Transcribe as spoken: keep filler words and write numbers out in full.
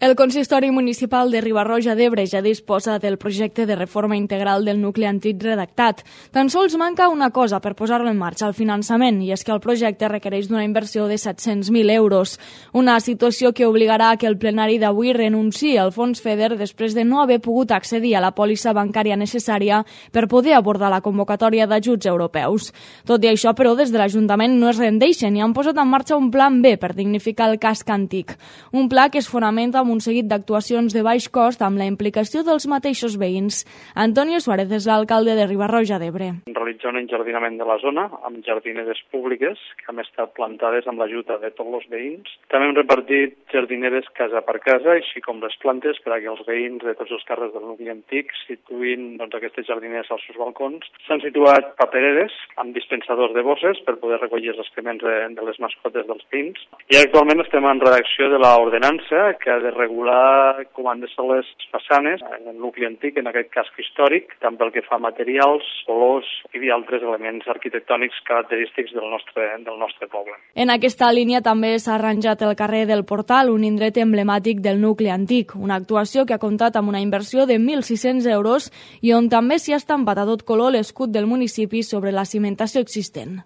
El Consistori Municipal de Riba-roja d'Ebre ja disposa del projecte de reforma integral del nucli antic redactat. Tan sols manca una cosa per posar-lo en marxa, el finançament, i és que el projecte requereix d'una inversió de set-cents mil euros. Una situació que obligarà a que el plenari d'avui renunciï al fons FEDER després de no haver pogut accedir a la pòlissa bancària necessària per poder abordar la convocatòria d'ajuts europeus. Tot i això, però, des de l'Ajuntament no es rendeixen i han posat en marxa un plan B per dignificar el casc antic. Un pla que es fonamenta amb un seguit d'actuacions de baix cost amb la implicació dels mateixos veïns. Antonio Suárez és l'alcalde de Riba-roja d'Ebre. Realitzar un enjardinament de la zona amb jardineres públiques que han estat plantades amb l'ajuda de tots els veïns. També hem repartit jardineres casa per casa, així com les plantes, perquè els veïns de tots els carrers del nucli antic situïn doncs, aquestes jardineres als seus balcons. S'han situat papereres amb dispensadors de bosses per poder recollir els excrements de, de les mascotes dels veïns. I actualment estem en redacció de l'ordenança que ha de regular com han de ser les façanes en el nucli antic, en aquest casc històric, tant pel que fa a materials, colors i altres elements arquitectònics característics del nostre, del nostre poble. En aquesta línia també s'ha arranjat el carrer del Portal, un indret emblemàtic del nucli antic, una actuació que ha comptat amb una inversió de mil sis-cents euros i on també s'hi ha estampat a tot color l'escut del municipi sobre la cimentació existent.